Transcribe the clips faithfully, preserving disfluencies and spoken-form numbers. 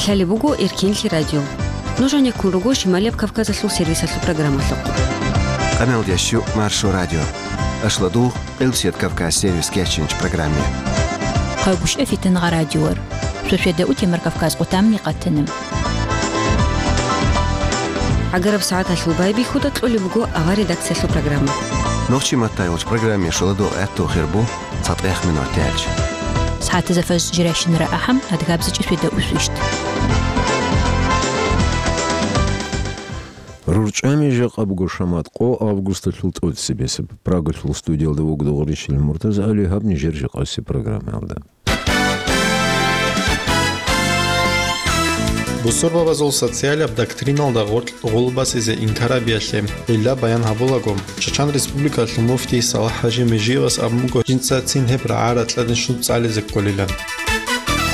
Лъалеб буго Эркенлъи радио. Нуж гьанеккун руго Шималияб Кавказалъул сервисалъул программалъухъ. Къаналдящу Маршо радио. Ашладугъ, Къилбсият Кавказ сервис кечинч программе. Къайгъушев Фитангъа радиор. Шошведа утемар Кавказ къутамни къатана. ГӀагараб сагӀаталъул байбихьуда кьолеб буго авар редакциялъул программа. Нохчи маттайолч программе шоладо гӀатту хирбу цатӀех минут тяч. СагӀатаза фаж жиращинара ахӀам, адгабзичӀи шведа усвищт. РурчӀами жакъа буго шамат къо августалъул тӀоцебесеб. Прагалъул студиялда вугдугъ рищил МуртазагӀали гьаб нижер жакъаси программаялда. Бусурбабазул социалаб доктриналда гъоркь гъулбасизе инкарабиялъе гӀилла баян гьабулаго, Чачан Республикалъул муфтий Салахь-хӀажи Межиевас абун буго, жинца цин гьеб рагӀа-ракьалде щун цӀализе кколилан.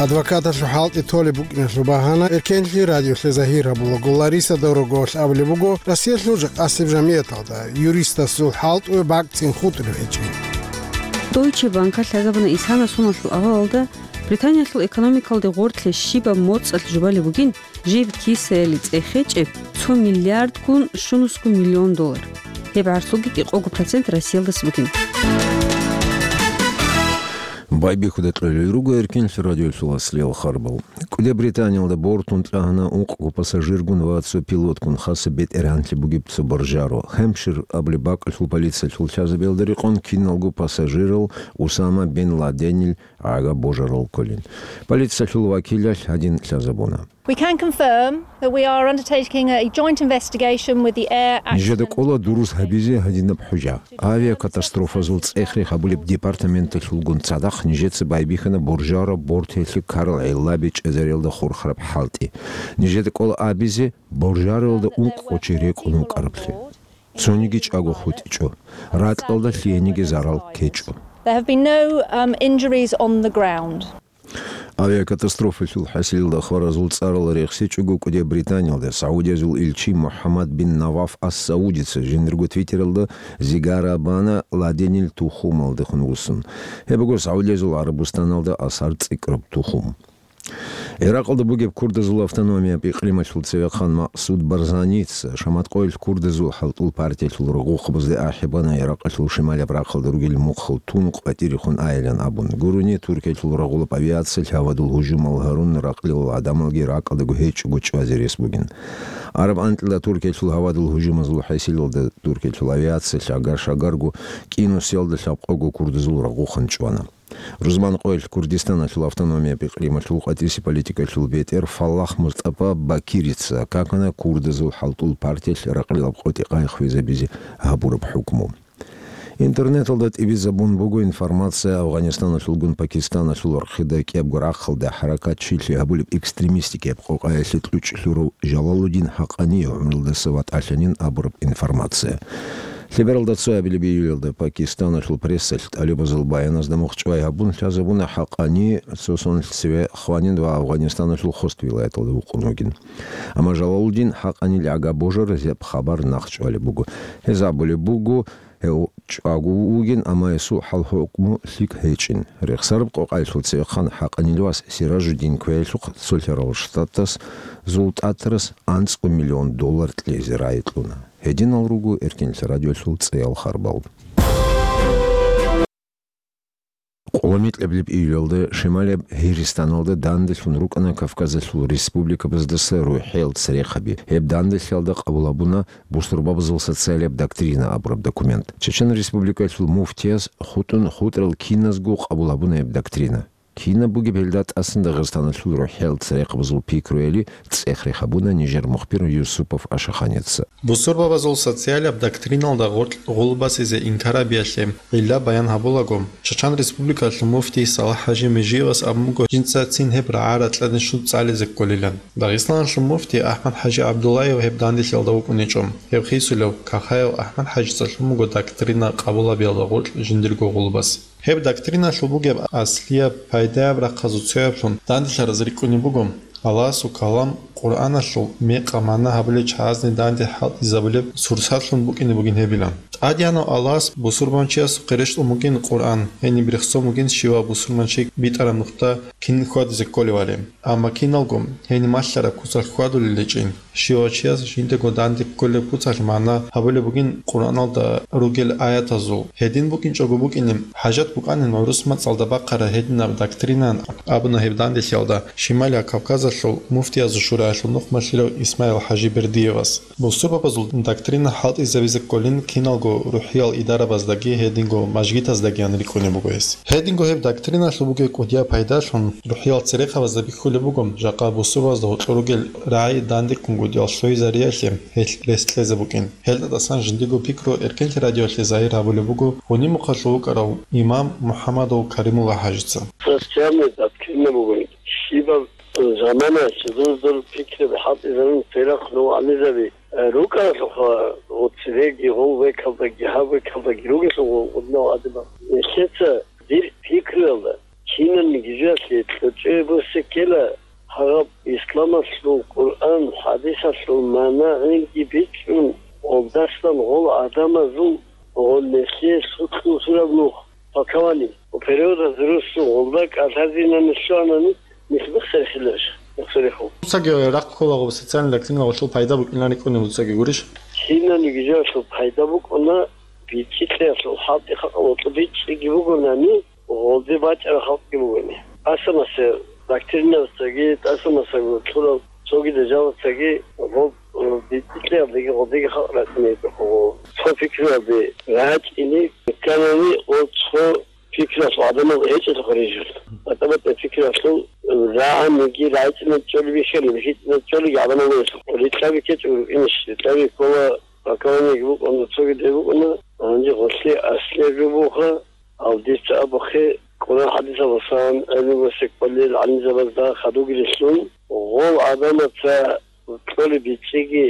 Адвокаталъул хӀалтӀи толеб букӀиналъул багьана Эркенлъи радиолъе загьир гьабулаго, Лариса Дорогоялъ абулеб буго, Россиялъул жакъасеб жамияталда юристасул хӀалтӀуе бакӀцин хутӀулеб гьечӀин. Deutsche Bank-алъ лъазабуна исана суналъул авалалда Британиялъул экономикалде гъоркье щибаб моцӀалъ жубалеб бугин, жиб кисаялде цӀехечӀеб цо миллиардгун щунусго миллион доллар. Гьеб гӀарцуги кӀикъого процент Россиялдаса бугин. Байбихьуда кьолел руго Эркенлъи радиолъул аслиял харбал. КӀуде Британиялда бортун тӀагьана ункъго пассажиргун ва цо пилотгун хасаб бетӀергьанлъи бугеб цо боржаро. Хемпшир абулеб бакӀалъул полициялъул лъазабиялда рекъон киналго пассажирал Усама бин Ладенил гӀага божарал кколин. Полициялъул вакилалъ гьадин лъазабуна. We can confirm that we are undertaking a joint investigation with the Air Accident Нижеда кӀола дурус гьабизе гьадинаб хӀужа. Авиакатастрофазул цӀех-рех гьабулеб департаменталъулгун цадахъ нижеца байбихьана боржараб бортиялъе ккарал гӀиллаби чӀезариялда хурхараб хӀалтӀи. Нижеда кӀола абизе боржаралда ункъго чи рекӀун вукӀараблъи. Цониги чӀаго хутӀичӀо. Ракьалда лъиениги зарал ккечӀо. There have been no, um, injuries on the ground. Авиакатастрофалъул хӀасилалда хваразул цӀарал рехсечӀого кӀуде Британиялда Саудиязул илчи МухӀаммад бин Наваф ас-Саудица жиндирго твиттералда зигара бана Ладенил тухумалдехун вуссун. Гьеб буго Саудиязул ГӀарабустаналда асар цӀикӀкӀараб тухум. Иракъалда бугеб курдазул автономияб икълималъул цевехъан Макъсуд Барзаница шаматкъоялъ курдазул хӀалтӀул партиялъул рагъухъабазде ахӀи бана Иракъалъул шималаб рахъалда ругел мухъал тун къватӀирехун айилан абун. Гурони, Туркиялъул рагъулаб авиациялъ гьавадул гьужумал гьарун, ракълилал гӀадамалги ракӀалдаго гьечӀого чӀвазе рес бугин. Араб анкьила Туркиялъул гьавадул гьужумазул хӀасилалда Туркиялъул авиациялъ агар-шагарго кӀинусиялда лъабкъого курдазул рагъухъан чӀвана. Рузманкъоялъ Курдистаналъул автономияб икълималъул къватӀиси политикалъул бетӀер Фаллах Мустапа Бакирица какана курдазул хӀалтӀул партиялъ ракълилаб къотӀи-къай хвезабизе гьабураб хӀукму. Интернеталда тӀибизабун буго информация Афганистаналъулгун Пакистаналъул рахъида кӀиябго рахъалда хӀаракат чилъи гьабулеб экстремистикияб къокъаялъе кьучӀ лъурав Жалалудин ХӀакъани гӀумрулдаса ватӀалъанин абураб информация. Лъебералда цоябилеб июлялда Пакистаналъул прессалъ тӀалибазул баяназда мухъ чӀвай гьабун лъазабуна ХӀакъани цо соналъ цеве хванин ва Афганистаналъул Хост вилаяталда вукъун вугин. Амма Жалалудин ХӀакъанил гӀага божаразе гьеб хабар нахъчӀвалеб буго. Гьез абулеб буго, гьев чӀаго вугин, амма гьесул хӀал-хӀукму лъикӀ гьечӀин. Рехсараб къокъаялъул цевехъан ХӀакъанил вас Сиражуддин квеялъухъ Цолъарал Штатас зултӀатарас анцӀго миллион доллар кьезе рагӀи кьуна. Гьединал руго Эркенлъи радиолъул цӀеял харбал. Къоломикьаблеб июлалда шималаб Гьиристаналда данделъун рукӀана Кавказалъул республикабаздаса рухӀел церехъаби. Гьеб данделъиялда къабул гьабуна бусурбабазул социалияб доктрина абураб документ. Чечен Республикалъул муфтияс хутӀун хутӀрал киназго къабул гьабуна гьеб доктрина. Кинаб бугеб гьелда тӀасан Дагъистаналъул рухӀел церехъабазул пикруяли цӀех-рех гьабуна нижер мухбир Юсупов Ашаханица. Бусурбабазул социалаб доктриналда гъоркь гъулбасизе инкарабиялъе гӀилла баян гьабулаго, Чачан Республикалъул муфтий Салахь-хӀажи Межиевас абун буго, жинца цин гьеб рагӀа-ракьалде щун цӀализе кколилан. Дагъистаналъул муфтий АхӀмад-хӀажи ГӀабдуллаев гьеб данделъиялда вукӀунечӀо. Гьев хисулев Кахаев АхӀмад-хӀажица лъун буго доктрина къабул гьабиялда гъоркь жиндирго гъулбас. Гьеб доктриналъул бугеб аслияб, пайдаяб рахъазул цояблъун данделъараз рикӀкӀунеб буго, Аллагьасул калам Къуръаналъул мекъа-магӀна гьабулел чагӀазни данде хӀалтӀизабулеб сурсатлъун букӀине бугин гьебилан. ТӀадегӀанав Аллагьас бусурманчиясухъе рещтӀун бугин Къуръан, гьениб рехсон бугин щивав бусурманчи битӀараб нухда кин хьвадизе кколевали. Амма киналго гьениб малъараб куцалъ хьвадулел гьечӀин. Щивав чияс жиндаго данде кколеб куцалъ магӀна гьабулеб бугин Къуръаналда ругел аятазул. Гьедин букӀинчӀого букӀине, хӀажат букӀанин гӀурус мацӀалда бахъараб гьединаб доктринан абуна гьеб данделъиялда Шималияб Кавказалъул муфтиязул шураялъул нухмалъилав Исмаил-хӀажи Бердиевас. Бусурбабазул доктрина хӀалтӀизабизе кколин киналго рухӀиял идарабаздаги гьединго мажгитаздагиян рикӀкӀунеб буго гьес. Гьединго гьеб доктриналъул бугеб кӀудияб пайдалъун рухӀиял церехъабазда бихьулеб буго, жакъа бусурбабазда гьоркьор ругел рагӀи дандеккунгутӀиялъ лъугьизариялъе гьелъ рес кьезе букӀин. Гьелда тӀасан жиндиго пикру Эркенлъи радиоялъе загьир гьабулеб буго гьуниб мухъалъув вукӀарав имам МухӀаммадов Каримулла-хӀажица. Социальный доктрина бугин. Щибаб заманаялъ дур-дур пикру хӀалтӀизабун церехъ нугӀанизаби рукӀаралъухъа, цереги гъол векалдаги, гьаб векалдаги ругелъул гъодинал гӀадамал. Нилъеца дир пикруялда, кинабниги жоялъе кьучӀеб буссеккела, гьаб исламалъул Къуръан, хӀадисалъул магӀна гӀинги бичӀчӀун, гъолдасан гъол гӀадамазул гъол нилъее лъукьул сураб нух, толкование, переводаз рурсул гъолда кӀалъазинани лъугьанани, нилъ бихсарихъиларищ? Бихсарихъу. Дуцаги рахъ кколаго социальный доктрина гъолъул пайда букӀинани кӀуни дуцаги гурищ? Кинабниги жоялъул пайда букӀуна, бичӀчӀи кьеялъул хӀалтӀи халкъалда бичӀчӀиги бугонани, гъолде бачӀарал халкъги бугони. ТӀаса-маса доктринабацаги, тӀаса-масаго лъурал цогидал жалацаги гъоб, э, бичӀчӀи кьеялдеги гъолдеги халкъ рачӀунеб гьечӀо гъо. Цо пикруялде рачӀине кканани, гъо цо пикруялъул гӀадамал гьечӀелъухъ рижун. БатӀа-батӀа пикруялъул рагӀаниги рагӀичӀине чӀолеб бихьани, бихьичӀине чӀолеги гӀадамал гьечӀо. Рикьаби ккечӀого рукӀинищ, рикьаби ккола, толкованиеги букӀуна, цогидаги букӀуна, гьанже гъолъие аслияб жо бугоха, гьав дица абухъе, Къуръан-хӀадисалдасан гӀелму босекбалел гӀалимзабазда хадуги рилълъун, гъол гӀадамаца кьолеб бичӀчӀиги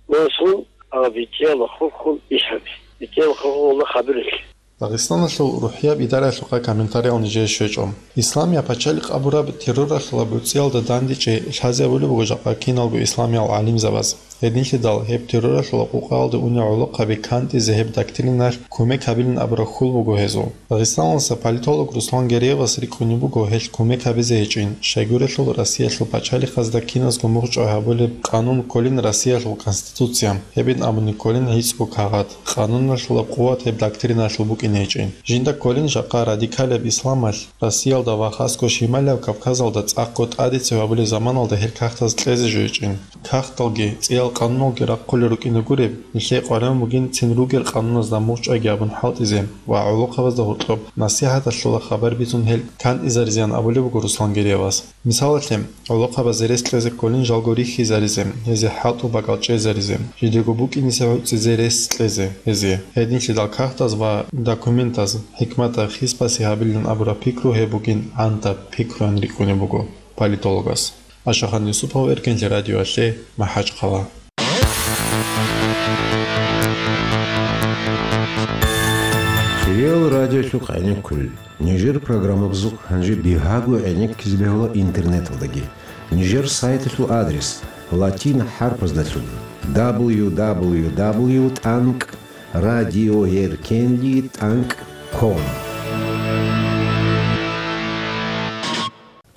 босун, гьав бичӀчӀиялда хурхун иш гьаби. БичӀчӀиялда хурхун гъолда хадурелъи. Дагъистаналъул рухӀияб идараялъухъа комментариял нижее щвечӀо. Исламияб пачалихъ абураб терроралъул гьаб гӀуцӀиялда дандечӀей лъазе абулеб буго жакъа киналго исламиял гӀалимзабаз. Гьединлъидал гьеб терроралъул къукъаялде унел гӀолохъаби кантӀизе гьеб доктриналъ кумек гьабилин абураб хьул буго гьезул. Дагъистаналдаса политолог Руслан Гереевас рикӀкӀунеб буго гьелъ кумек гьабизе гьечӀин, щайгурелъул Россиялъул пачалихъазда киназго мугъчӀвай гьабулеб къанун кколин Россиялъул Конституция, гьебин абуни кколин гӀицӀго кагъат. Къануналъулаб къуват гьеб доктриналъул букӀине гьечӀин. Жинда кколин жакъа радикалияб исламалъ Россиялда ва хасго Шималияб Кавказалда цӀакъго тӀадецев гьабулеб заманалда гьел кагътаз кьезе жо гьечӀин. Кагъталги, цӀиял къануналги рахъулел рукӀине гуреб, нилъее къваригӀун бугин цин ругел къануназда мугъчӀвайги абун хӀалтӀизе ва гӀолохъабазда гьоркьоб насихӀаталъула хабар бицун гьел кантӀизаризеян абулеб буго Руслан Гереевас. Мисалалъе, гӀолохъабазе рес кьезе кколин жалго рихьизаризе, гьезие хӀалтӀу бакӀал чӀезаризе, жидего букӀинисе гӀуцӀизе рес кьезе гьезие. Гьединлъидал кагътаз ва документаз хӀикматаб хисбасе гьабилин абураб пикру гьеб бугин гӀантаб пикруян рикӀкӀунеб буго политологас. Ашахан Юсупов, Эркенлъи радиоялъе, МахӀачхъала. Кирил радиолъухъ гӀенеккулел. Нижер программабазухъ гьанже бигьаго гӀенеккизе бегьула интернеталдаги. Нижер сайталъул адрес: латин хӀарпаздалъун: дабл ю дабл ю дабл ю тӀанкӀ радиоеркенли тӀанкӀ ком.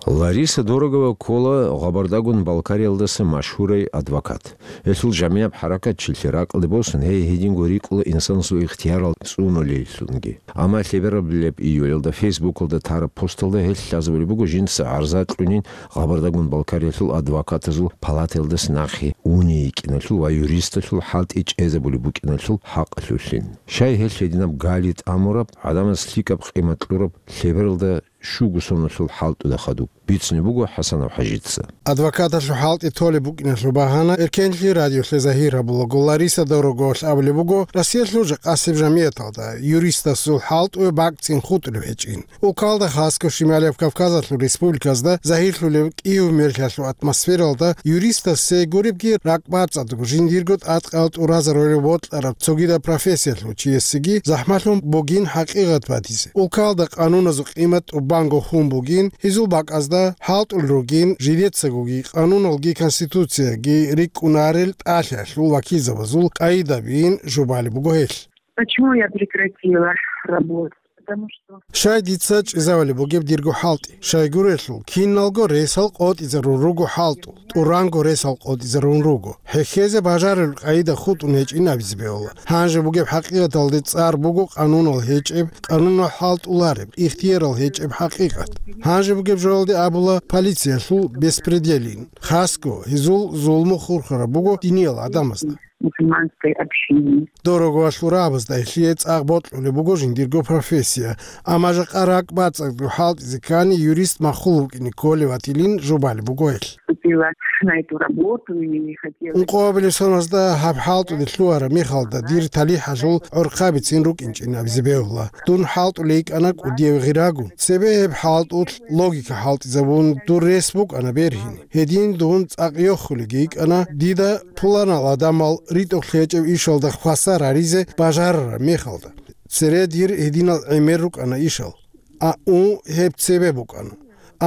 Лариса Дорогова ккола Гъабардагун Балкариялдаса машгьурай адвокат. Гьелъул жамигӀаб хӀаракат чилъи ракӀалде босун, гьей гьединго рикӀкӀула инсанасул ихтиярал цӀунулеллъунги. Амма лъеберабилеб июлялда Фейсбукалда тараб посталда гьелъ лъазабулеб буго жинца гӀарза кьунин Гъабардагун Балкариялъул адвокатазул палатаялдаса нахъе уней йикӀиналъул ва юристалъул хӀалтӀи чӀезабулеб букӀиналъул хӀакъалъулъин. Щай гьелъ гьединаб гали тӀамураб, гӀадамаз лъикӀаб къимат кьураб, лъебералда щуго соналъул хӀалтӀуда хадуб, бицунеб буго ХӀасанов ХӀажица. Адвокаталъул хӀалтӀи толеб букӀиналъул багьана Эркенлъи радиолъе загьир гьабулаго Лариса Дороговалъ абулеб буго, Россиялъул жакъасеб жамигӀаталда юристасул хӀалтӀуе бакӀцӀин хутӀулеб гьечӀин. Улкалда хасго Шималияб Кавказалъул республиказда загьирлъулеб кӀиго мерлъиялъул атмосфералда юристасе гуребги ракӀбацӀцӀадго жиндирго тӀадкъал тӀуразарулел бокьараб цогидаб профессиялъул чиясеги захӀмалъун бугин хӀакъикъат батизе. Улкалда къануназул къимат тӀубанго хун бугин, гьезул бакӀазда хӀалтӀулел ругин, жидецагоги къануналги конституцияги рикӀкӀунарел тӀалъиялъул вакилзабазул къайидабиин жубалеб буго гьелъ. Почему я прекратила работать? Потому что Щай дица чӀезавали бугеб дирго хӀалтӀи? Щайгурелъул, киналго ресал къотӀизарун руго хӀалтӀул, тӀуранго ресал къотӀизарун руго. ХӀехьезе бажарулел къайда хутӀун гьечӀин абизе бегьула. Гьанже бугеб хӀакъикъаталде цӀар буго къанунал гьечӀеб, къанунал хӀалтӀулареб, ихтиярал гьечӀеб хӀакъикъат. Гьанже бугеб жоялде абула полициялъул беспределин. Хасго, гьезул зулму хурхараб буго диниял гӀадамазда. Мусульманской общине. Дорогвалъул рагьабазда гьелъие цӀакъ бокьулеб буго жиндирго профессия, амма жакъа ракӀ бацӀцӀадго хӀалтӀизе ккани юрист махул вукӀине кколев ватилин жубалеб буго гьелъ. Вступила на эту работу и хотела Ункъоабилеб соназда гьаб хӀалтӀуде лъугьараб мехалда дир талихӀалъул гӀорхъабицин рукӀинчӀин абизе бегьула. Дун хӀалтӀулей йикӀана кӀудияв гъирагун. Цебе гьеб хӀалтӀулъ логика хӀалтӀизабун, дур рес букӀана бергьине. Гьедин дун цӀакъ йохулеги йикӀана, дида пуланал гӀадамал ритӀухълъи гьечӀеб ишалда хвасар гьаризе бажарараб мехалда. Цере дир гьединал гӀемер рукӀана ишал. А, у, гьеб цебе букӀана.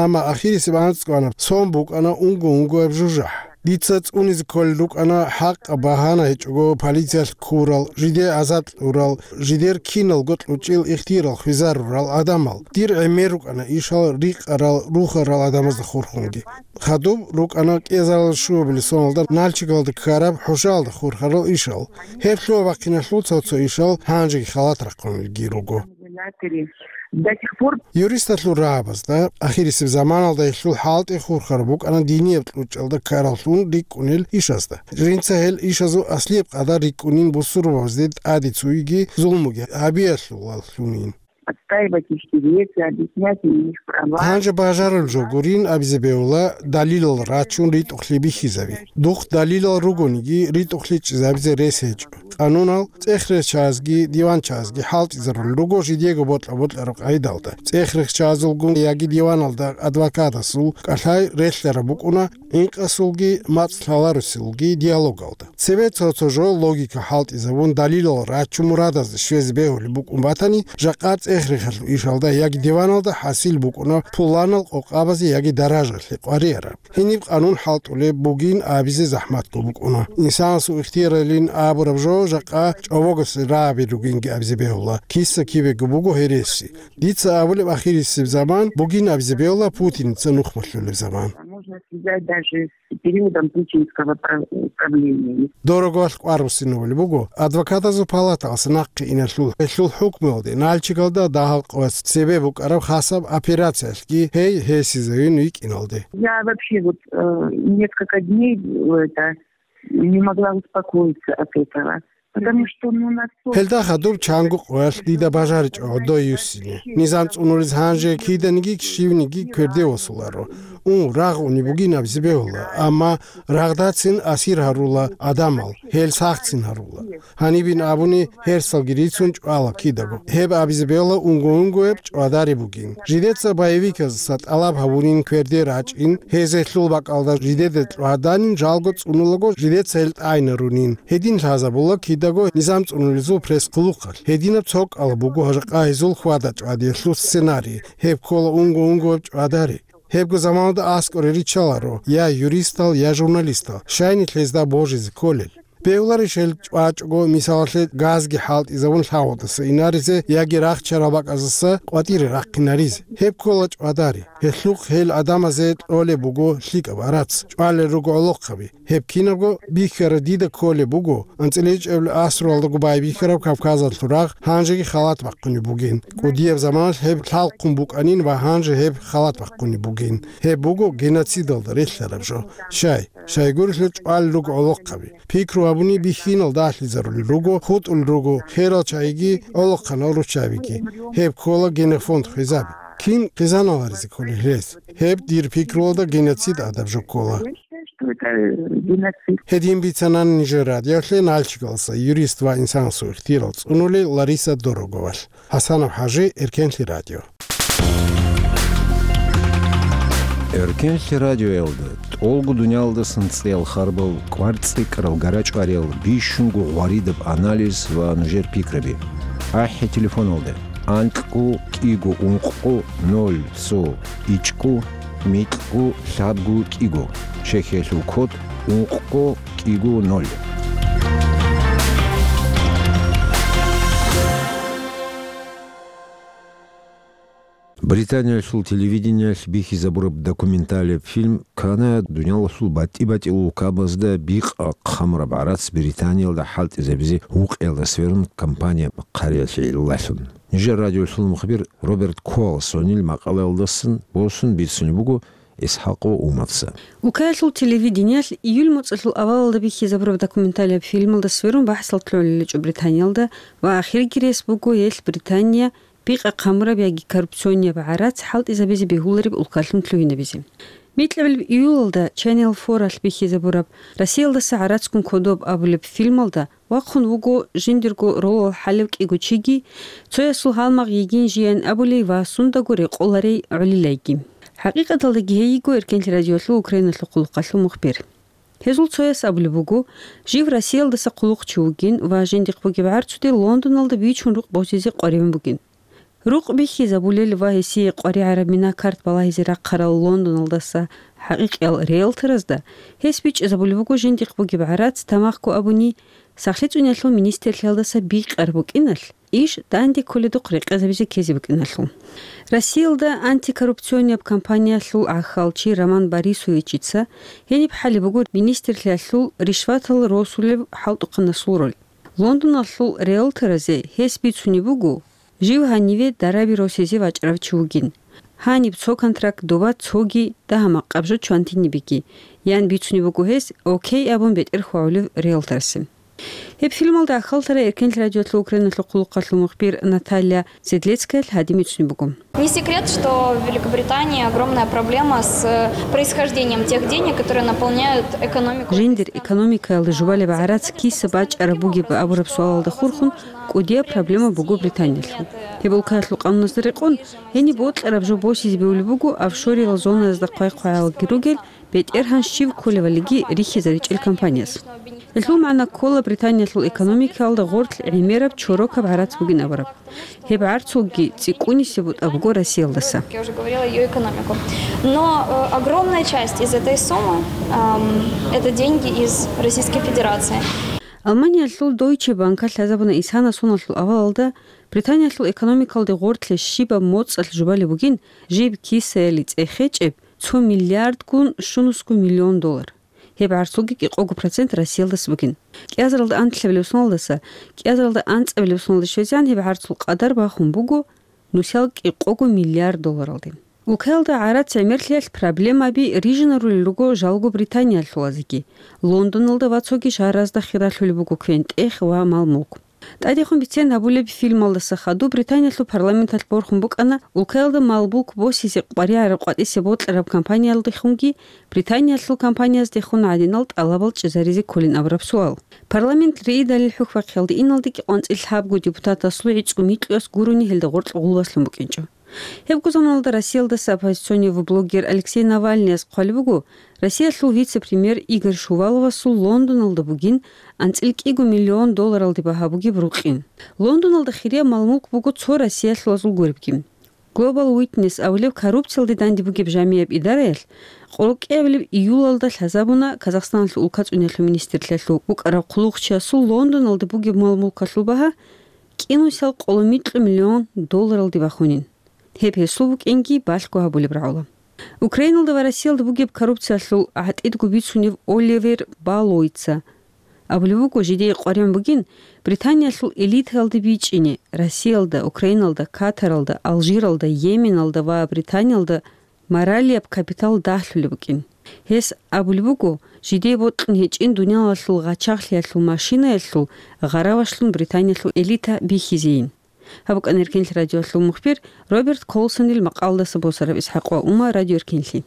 Амма ахирисеб анцӀго кьана, сон букӀана унго-унгояб жужахӀ. Дица цӀунизе кколел рукӀана хӀакъаб багьана гьечӀого полициялъ ккурал, жиде азад кьурал, жидер киналго кьучӀил ихтиярал хвезарурал гӀадамал. Дир гӀемер рукӀана ишал рикъарал, рухарал гӀадамазда хурхунги. Хадуб рукӀана кӀезарал щуабилеб соналда Нальчигалда ккараб хӀушаялда хурхарал ишал. Гьеб лъугьа-бахъиналъул цо-цо ишал гьанжеги халат рахъунелги руго. До сих пор Юристалъул рагьабазда ахирисеб заманалда гьелъул хӀалтӀи хурхараб букӀана динияб кьучӀалда ккараллъун рикӀкӀунел ишазда. Жинца гьел ишазул аслияб къадар рикӀкӀунин бусурбабазде тӀаде цуйги зулмуги гьабиялъулаллъунин. Отстаивать их интересы, объяснять им их права. Гьанже бажарулеб жо гурин абизе бегьула далилал рачун ритӀухълъи бихьизаби. Духъ далилал ругониги, ритӀухълъи чӀезабизе рес гьечӀо. Къанунал цӀехречазги диванчазги хӀалтӀизарулел руго жидего бокьа-бокьараб къайдалда. ЦӀехрехчазулгун яги диваналда адвокатасул кӀалъай релълъараб букӀуна, инкъасулги мацӀ лъаларусулги диалогалда. Цебе цо-цо жо логика хӀалтӀизабун, далилал рачун мурадазда щвезе бегьулеб букӀун батани, жакъа цӀехрехалъул ишалда яги диваналда хӀасил букӀуна пуланал къокъабазе яги даражалъе къварияраб. Гьениб къанун хӀалтӀулеб бугин абизе захӀматго букӀуна. Инсанасул ихтияралин абураб жо жакъа чӀобогосе рагӀаби ругинги абизе бегьула, киса-кибего буго гьереси. Дица абулеб ахирисеб заман бугин абизе бегьула Путиница нухмалъулеб заман. Можно связать даже с периодом путинского пра-, правления. Дорогвалъ кӀвар буссинабулеб буго, адвокатазул палаталъ нахъе иналъул гьелъул хӀукмуялде Нальчигалда дагьал къоялъ цебе букӀараб хасаб операциялъги гьей гьесизавин витӀиналде. Я вообще вот, э, несколько дней, э, это, не могла успокоиться от этого. Потому что, ну, настолько Гьелда хадуб чанго къоялъ дида бажаричӀо гӀодой юссине. Низам цӀунулез гьанже киданиги щивниги кверде восуларо. У, рагъ уни бугин абизе бегьула, амма рагъдацин асир гьарула гӀадамал, гьел сахцин гьарула. Гьанибин абуни, гьерсалги рицун чӀвала кидаго. Гьеб абизе бегьула унго-унгояб чӀвадари бугин. Жидеца боевиказаса тӀалаб гьабунин кверде рачӀин, гьез гьелъул бакӀалда жидеда кьваданин, жалго цӀунулаго жидеца гьел тӀайнарунин. Гьедин лъазабула кидаго низам цӀунулезул пресс-хъулухъалъ. Гьединаб цо кӀал буго гьажакъа гьезул хьвада-чӀвадиялъул сценарий. Гьеб ккола унго-унгояб чӀвадари. Гьебго заманалда аскӀоре риччаларо я юристал, я журналистал, щайни лъезда божизе кколел. Бегьуларищ гьел чӀвачӀого, мисалалъе, газги хӀалтӀизабун лъагӀалдаса инаризе яги рахчарал бакӀаздаса къватӀире рахъинаризе? Гьеб ккола чӀвадари. Гьелъухъ гьел гӀадамазе кьолеб буго лъикӀаб арац, чӀвалел руго гӀолохъаби. Гьеб кинабго бихьараб дида кколеб буго, анцӀила ичӀабилеб асруялдаго байбихьараб Кавказалъул рагъ гьанжеги халат бахъунеб бугин. КӀудияб заманалъ гьеб лъалхъун букӀанин ва гьанже гьеб халат бахъунеб бугин. Гьеб буго геноцидалда релълъараб жо. Щай, щайгурелъул чӀвалел руго гӀолохъаби. Пикру гьабуни бихьинал дагьлъизарулел руго, хутӀулел руго херал чагӀиги, гӀолохъанал руччабиги. Гьеб ккола генофонд хвезаби. Кин хъизаналаризе кколел гьес? Гьеб дир пикруялда геноцид гӀадаб жо ккола. Я считаю, что это, э, геноцид. Гьедин бицана нижер радиолъе Нальчигалса юрист ва инсанасул ихтияр цӀунулел Лариса Дороговалъ. ХӀасанов ХӀажи, Эркенлъи радио. Эркенлъи радиоялда тӀолго дуниялдасан цӀеял харбал, кӀвар цӀикӀкӀарал гарачӀвариял, бищунго гъваридаб анализ ва нужер пикраби. АхӀи телефоналда: анкьго кӀиго ункъго ноль цо ичӀго микьго лъабго кӀиго. Чехиялъул код: ункъго кӀиго ноль. Британиялъул телевидениялъ бихьизабураб документалияб фильм ккана дуниялалъул батӀи-батӀиял улкабазда бикъа хъамураб гӀарац Британиялда хӀалтӀизабизе гьукъиялда сверун кампания хъариялъе гӀиллалъун. Нижер радиолъул мухбир Роберт Колсонил макъалаялдасан босун бицунеб буго ИсхӀакъ Умарца. Улкаялъул телевидениялъ июль моцӀалъул авалалда бихьизабураб документалияб фильмалда сверун бахӀсал лъолеличӀо Британиялда ва ахирги рес буго гьелъ Британия бикъа хъамураб яги коррупционияб гӀарац хӀалтӀизабизе бегьулареб улкалъун лъугьинабизе. Микьабилеб июлалда Channel Four-алъ бихьизабураб Россиялдаса гӀарацгун кодоб абулеб фильмалда вахъун вуго жиндирго ролал хӀалев кӀиго чиги, цоясул гьалмагъ йигин жийин абулей ва сундаго рекъоларей гӀолилайги. ХӀакъикъаталдаги гьей йиго Эркенлъи радиолъул Украиналъул хъулухъалъул мухбир. Гьезул цояс абулеб буго, жив Россиялдаса хъулухъчи вугин ва жиндихъ бугеб гӀарцуде Лондоналда бичун рукъ босизе къваригӀун бугин. Рукъ бихьизабулел ва гьесие къваригӀараб мина-карт балагьизе рахъарал Лондоналдаса хӀакъикъиял риэлторазда гьес бичӀчӀизабулеб буго жиндихъ бугеб гӀарац, тамахго абуни, СахлъицӀуниялъул министрлъиялдаса бикъараб букӀиналъ, иш данде кколедухъ рекъезабизе ккезе букӀиналъул. Россиялда антикоррупционияб кампаниялъул гӀахьалчи Роман Борисовичица гьениб хӀалеб буго министрлъиялъул ришватал росулеб хӀалтӀухъанасул роль. Лондоналъул риэлторазе гьес бицунеб буго, жив гьаниве дараби росизе вачӀарав чи вугин. Гьаниб цо контракт, доба цоги, дагьа-макъаб жо чвантинибеги, ян бицунеб буго гьес, окей абун бетӀер хьвагӀулев риэлторасе. Гьеб фильмалда ахалтара Эркенлъи радиолъул Украиналъул хъулухъалъул мухбир Наталья Седлецкаялъ гьадин бицунеб буго. Не секрет, что в Великобритании огромная проблема с происхождением тех денег, которые наполняют экономику. Жиндир экономикаялда жубалеб гӀарац киса бачӀараб бугеб абураб суалалда хурхун кӀудияб проблема буго Британиялъул. Гьеб улкаялъул къануналда рекъон, гьениб бокьараб жо босизе бегьулеб буго офшориял зонаязда хъвай-хъваялги ругел, бетӀергьан щив кколевалиги рихьизаричӀел компанияс. Гьелъул магӀна ккола Британиялъул экономикаялда гъорлъ гӀемераб чорокаб гӀарац бугин абураб. Гьеб гӀарцулги цӀикӀкӀунисеб бутӀа буго Россиялдаса. Я уже говорила, её экономику. Но, э, огромная часть из этой суммы, ам, это деньги из Российской Федерации. Алманиялъул Deutsche Bank-алъ лъазабуна исана соналъул авалалда Британиялъул экономикалде гъорлъе щибаб моцӀалъ жубалеб бугин жиб кисаялде цӀехечӀеб цо миллиардгун щунусго миллион доллар. Гьеб гӀарцулги кӀикъого процент Россиялдаса бугин. КӀиазаралда анлъабилеб соналдаса кӀиазаралда анцӀабилеб соналде щвезегӀан гьеб гӀарцул къадар бахун буго нусал кӀикъого миллиард долларалде. Улкаялда гӀарац гӀемерлъиялъ проблемаби рижинарулел руго жалго Британиялъулазеги, Лондоналда ва цоги шагьаразда хиралъулеб буго квен-тӀех ва мал-мулк. ТӀадехун бицен гьабулеб фильмалдаса хадуб Британиялъул парламенталъ борхун букӀана улкаялда мал-мулк босизе къваригӀараб къватӀисе бокьараб компаниялдехунги Британиялъул компанияздехун гӀадинал тӀалабал чӀезаризе кколин абураб суал. Парламент риидалил хӀухьбахъиялде иналдеги къванцӀил лъабго депутатасул гӀицӀго микьуяс гурони гьелда гъоркь гъулбаслъун букӀинчӀо. Гьебго заманалда Россиялдаса оппозиционив блогер Алексей Навальныяс хъвалеб буго, Россиялъул вице-премьер Игорь Шуваловасул Лондоналда бугин анцӀил кӀиго миллион долларалде багьа бугеб рукъин. Лондоналда хирияб мал-мулк буго цо россиялъулазул гуребги. Global Witness абулеб коррупциялде данде бугеб жамияб идараялъ къоло кӀиабилеб июлалда лъазабуна Казахстаналъул улкацӀуниялъул министрлъиялъул вукӀарав хъулухъчиясул Лондоналда бугеб мал-мулкалъул багьа кӀинусал къоло микьу миллион долларалде бахунин. Гьеб гьесул букӀинги балъго гьабулеб рагӀула. Украиналда ва Россиялда бугеб коррупциялъул гӀатӀидго бицунев Оливер Баллоуица абулеб буго, жидее къваригӀун бугин Британиялъул элитаялде бичӀчӀине, Россиялда, Украиналда, Катаралда, Алжиралда, Йеменалда ва Британиялда моралияб капитал дагьлъулеб букӀин. Гьес абулеб буго, жидее бокьун гьечӀин дуниялалъул гъачагълъиялъул машинаялъул гъаравашлъун Британиялъул элита бихьизейин. Гьаб букӀана Эркенлъи радиоялъул мухбир Роберт Колсонил макъалдаса босараб ИсхӀакъ ва Ума, Радио Эркенлъи.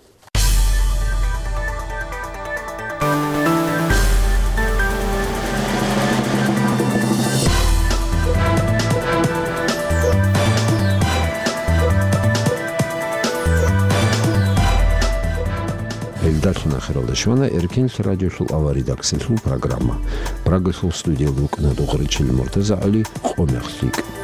Гьелдалъун ахиралда щвана Эркенлъи радиолъул аваридаксалъул программа. Прагалъул студиялда вукӀана Духаричил МуртазагӀали, къо мех лъикӀ.